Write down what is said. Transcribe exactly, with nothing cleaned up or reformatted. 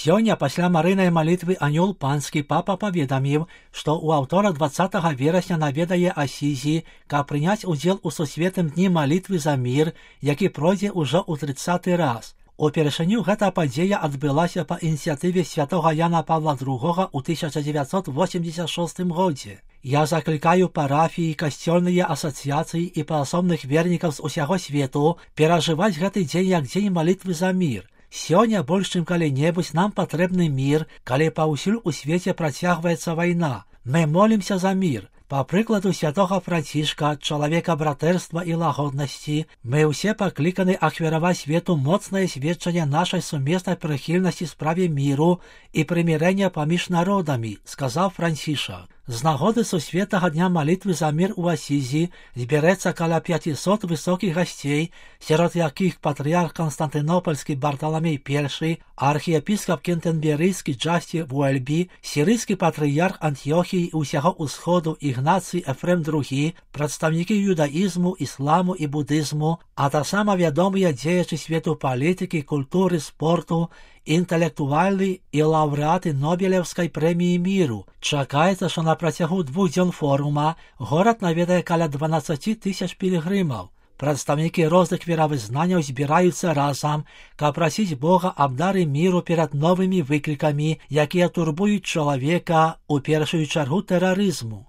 Сёння пасля марыйнай малітвы анёл панскі папа паведаміў, што ў аўтора дваццатага верасня наведае Асізі, каб прыняць удзел у сусветным дні малітвы за мір, які пройдзе ўжо ў трыццаты раз. Упершыню гэта падзея адбылася па ініцыятыве святога Яна Павла другога ў тысяча дзевяцьсот восемьдесят шостым годзе. Я заклікаю парафіі, касцёльныя асацыяцыі і паасобных вернікаў з усяго свету перажываць гэты дзень як дзень малітвы за мір. Сёння больш чым калі-небудзь нам патрэбны мір, калі паўсюль у свеце працягваецца вайна. Мы молімся за мір. Па прыкладу святога Францішка, чалавека братэрства і лагоднасці, мы ўсе пакліканы ахвяраваць свету моцнае сведчанне нашай сумеснай прыхільнасці справе міру і прымірэння паміж народамі, сказаў Францішак. З нагоды сусветнага дня малітвы за мір у Асізі збярэцца каля пяцісот высокіх гасцей, сярод якіх патрыярх Канстантынопольскі Барталамей першы, архіепіскап кентэнберыйскі Джасці Вуэльбі, сірыйскі патрыярх Антыёхіі і ўсяго ўсходу Ігнацый Эфрем другі, прадстаўнікі юдаізму, ісламу і будызму, а таксама вядомыя дзеячы свету палітыкі, культуры, спорту, інтэлектуальны і лаўрэаты Нобелеўскай прэміі міру. Чакаецца, што на працягу двух дзён форума горад наведае каля дванаццаць тысяч пілігрымаў. Прадстаўнікі розных веравызнанняў збіраюцца разам, каб прасіць Бога аб дары міру перад новымі выклікамі, якія турбуюць чалавека, у першую чаргу тэрарызму.